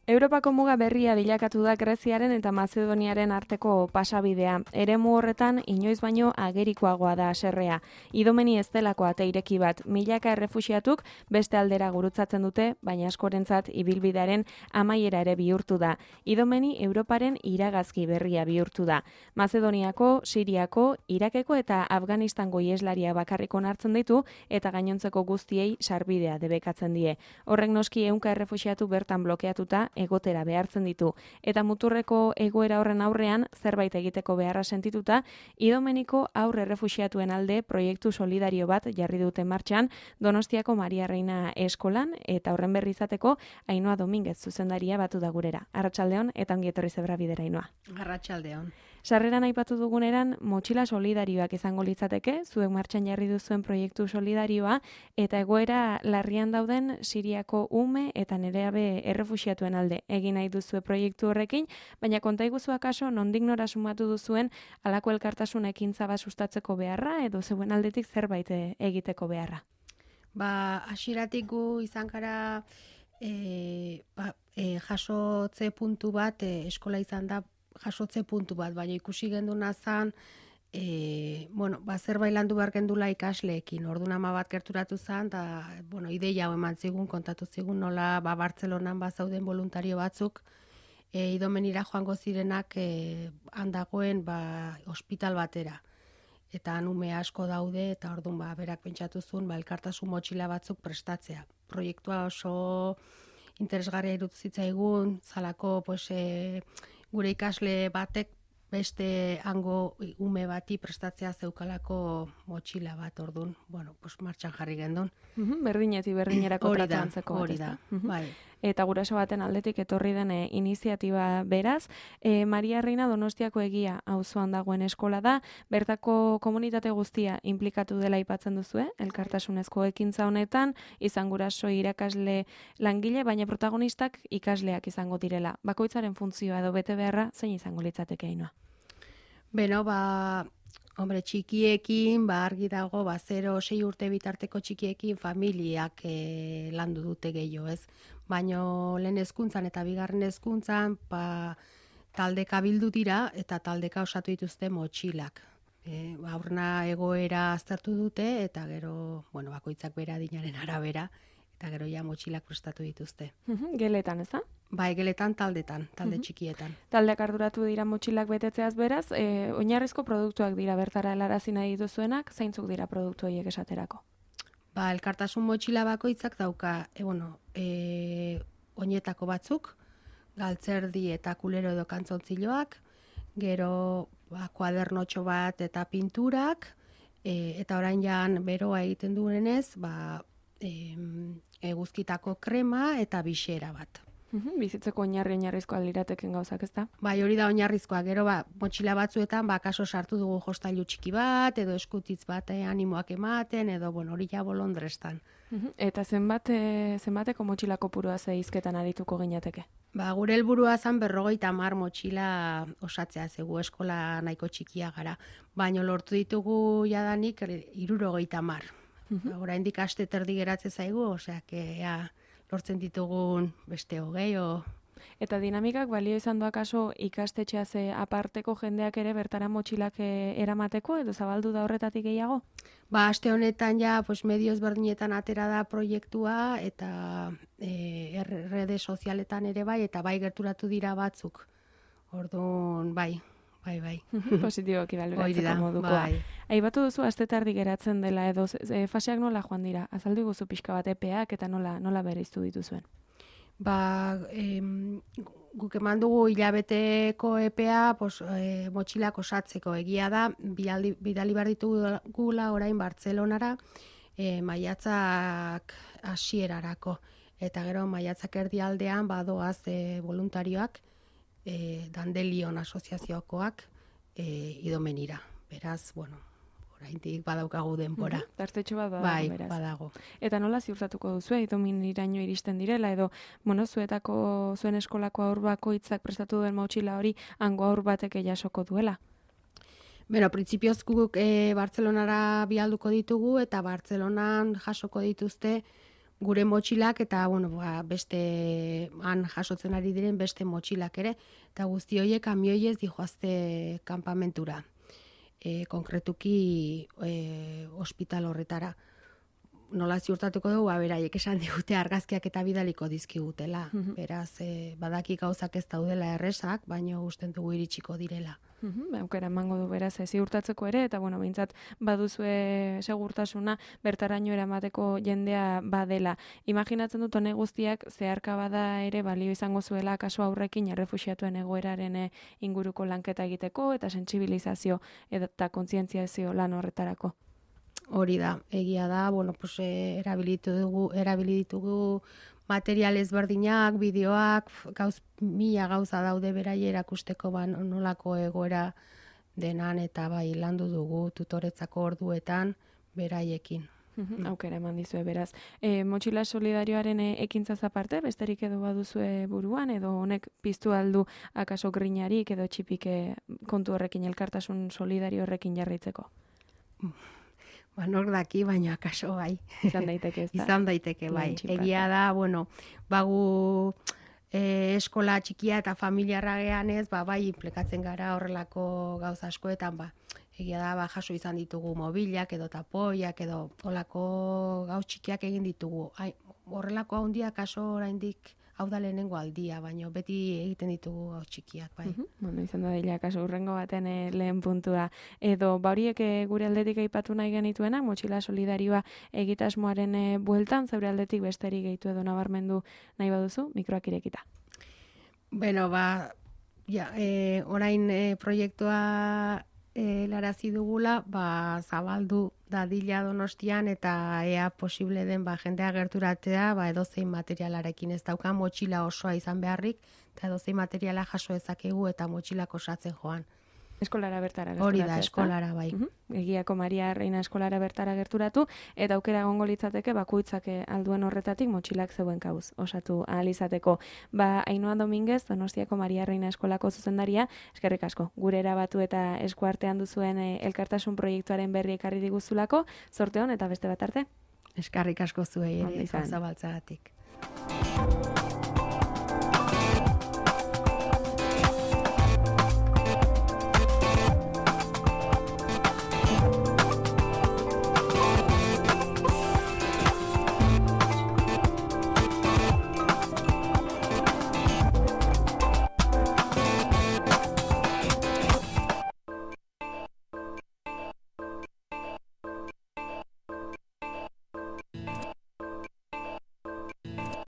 Europako muga berria bilakatu da Greziaren eta Mazedoniaren arteko pasabidea. Eremu horretan inoiz baino agerikoagoa da haserrea. Idomeni ez delako ate ireki bat, milaka errefuxiatuk beste aldera gurutzatzen dute, baina askorentzat ibilbidearen amaiera ere bihurtu da. Idomeni Europaren iragazki berria bihurtu da. Mazedoniako, Siriako, Irakeko eta Afganistango ieslaria bakarrik onartzen ditu eta gainontzeko guztiei sarbidea debekatzen die. Horrek noski 100 errefuxiatu bertan blokeatuta egotera behartzen ditu. Eta muturreko egoera horren aurrean zerbait egiteko beharra sentituta, Idomeniko aurre errefuxiatuen alde proiektu solidario bat jarri dute martxan Donostiako Maria Reina eskolan eta horren berri izateko Ainhoa Dominguez zuzendaria batu da gurera. Arratsaldeon eta ongi etorri Zebra Bidera Ainhoa. Arratsaldeon. Sarreran aipatu duguneran motxila solidarioak izango litzateke, zuek martxan jarri duzuen proiektu solidarioa eta egoera larrian dauden Siriako ume eta nereabe errefuxiatuen alde egin nahi duzue proiektu horrekin, baina konta iguzu akaso nondik nora sumatu duzuen halako elkartasun ekintza bat sustatzeko beharra edo zeuen aldetik zerbait egiteko beharra. Hasieratik gu izan gara jasotze puntu bat, eskola izan da jasotze puntu bat, baina ikusi genduna zan, zerbait landu behar gendula ikasleekin. Orduan ama bat gerturatu zan, da, ideia hau eman zigun, kontatu zigun, nola Bartzelonan zauden voluntario batzuk, Idomenira joango zirenak handagoen ospital batera. Eta ume asko daude, eta orduan berak pentsatu zuen, elkartasun motxila batzuk prestatzea. Proiektua oso interesgarria irutu zitzaigun, zalako gure ikasle batek beste hango ume bati prestatzea zeukalako motxila bat, orduan, martxan jarri gendun. Berdinetik berdinerako tratuantzeko. Hori da, bai. Eta guraso baten aldetik etorri den iniziatiba beraz. Maria Reina Donostiako Egia auzoan dagoen eskola da, bertako komunitate guztia inplikatu dela aipatzen duzue, elkartasunezko ekintza honetan, izan guraso irakasle langile, baina protagonistak ikasleak izango direla. Bakoitzaren funtzioa edo bete beharra zein izango litzateke Ainhoa? Txikiekin, argi dago, 0-6 urte bitarteko txikiekin familiak landu dute gehiago, ez? Baina lehen hezkuntzan eta bigarren hezkuntzan taldeka bildu dira eta taldeka osatu dituzte motxilak. Aurrena egoera aztertu dute eta gero, bakoitzak bera adinaren arabera, eta gero ja motxilak prestatu dituzte. Geletan, ez da? Bai, geletan taldetan, talde txikietan. Taldeak arduratu dira motxilak betetzeaz beraz, oinarrizko produktuak dira bertara helarazi nahi dituzuenak, zeintzuk dira produktu horiek esaterako? Elkartasun motxila bakoitzak dauka, oinetako batzuk, galtzerdi eta kulero edo kantzontziloak, gero kuadernotxo bat eta pinturak, eta orain jan beroa egiten duenez, eguzkitako krema eta bixera bat. Bizitzeko oinarrizkoa lirateken gauzak, ez da? Bai, hori da oinarrizkoa. Gero motxila batzuetan kaso sartu dugu jostailu txiki bat, edo eskutitz bat animoak ematen, edo hori ja bolondrestan. Eta zenbateko motxila kopurua hizketan arituko ginateke? Gure helburua zan 50 motxila osatzea, zegu eskola nahiko txikia gara. Baina lortu ditugu jadanik 70. Oraindik aste terdi geratze zaigu, oseak lortzen ditugun beste 20. Eta dinamikak balio izan doa kaso ikastetxeaz aparteko jendeak ere bertara motxilak eramateko edo zabaldu da horretatik gehiago? Aste honetan medio ezberdinetan atera da proiektua eta rede sozialetan ere bai, eta bai gerturatu dira batzuk. Orduan, bai. Positiboki baloratzeko modukoa. Aipatu duzu astetardi geratzen dela edo faseak nola joan dira? Azaldu iguzu pixka bat epeak eta nola bereiztu dituzuen? Guk eman dugu hilabeteko epea motxilak osatzeko. Egia da, bidali behar ditugula orain Bartzelonara maiatzak hasierarako. Eta gero maiatzak erdialdean badoaz voluntarioak Dandelion asoziaziokoak Idomenira. Beraz, oraindik badaukagu denbora. Tartetxo bat badago, bai, beraz. Badago. Eta nola ziurtatuko duzu Idomeniraino iristen direla edo zuen eskolako haur bakoitzak prestatu duen motxila hori hango haur batek jasoko duela? Printzipioz guk Bartzelonara bialduko ditugu eta Bartzelonan jasoko dituzte gure motxilak eta beste han jasotzen ari diren beste motxilak ere, eta guzti horiek kamioiez dijoazte kanpamentura, konkretuki ospital horretara. Nola ziurtatuko dugu, beraiek esan digute argazkiak eta bidaliko dizkigutela. Beraz, badaki gauzak ez daudela erresak, baina usten dugu iritsiko direla. Aukera emango du beraz ziurtatzeko ere, eta behintzat baduzue segurtasuna bertaraino eramateko jendea badela. Imaginatzen dut honek guztiak zeharka bada ere balio izango zuela kasu aurrekin errefuxiatuen egoeraren inguruko lanketa egiteko eta sentsibilizazio eta kontzientziazio lan horretarako. Hori da, egia da, erabili ditugu material ezberdinak, bideoak, mila gauza daude beraie erakusteko nolako egoera denan eta landu dugu tutoretzako orduetan beraiekin. Aukera eman dizue beraz. Motxila solidarioaren ekintzaz aparte, besterik edo baduzue buruan, edo honek piztu aldu akaso grinarik edo txipik kontu horrekin, elkartasun solidario horrekin jarraitzeko? Nor daki, baina akaso bai. Izan daiteke, ez da? Izan daiteke, bai. Egia da, bagu eskola txikia eta familiarra gehan ez, bai, implikatzen gara horrelako gauza askoetan, egia da, jaso izan ditugu mobilak edo tapoiak edo horrelako gauz txikiak egin ditugu. Horrelako handiak kaso oraindik hau da lehenengo aldia, baina beti egiten ditugu gauz txikiak, bai. Izan da dela, kaso urrengo baten lehen puntua. Edo, horiek gure aldetik aipatu nahi genituena, motxila solidarioa egitasmoaren bueltan, zeure aldetik besterik gehitu edo nabarmendu nahi baduzu, mikroak irekita. Orain proiektua helarazi dugula, zabaldu dadila Donostian eta ea posible den jendea gerturatzea, edozein materialarekin ez daukan motxila osoa izan beharrik, eta edozein materiala jaso ezakegu eta motxilak osatzen joan. Eskolara bertara gerturatu. Hori da, eskolara bai. Egiako Maria Reina eskolara bertara gerturatu, eta aukera egongo litzateke bakoitzak alduen horretatik motxilak zeuen kauz osatu ahal izateko. Ainhoa Dominguez, Donostiako Maria Reina eskolako zuzendaria, eskerrik asko, gure erabatu eta eskuartean duzuen elkartasun proiektuaren berri ekarri diguzulako, zorte hon eta beste bat arte. Eskerrik asko zuei ere, gauza baltzagatik.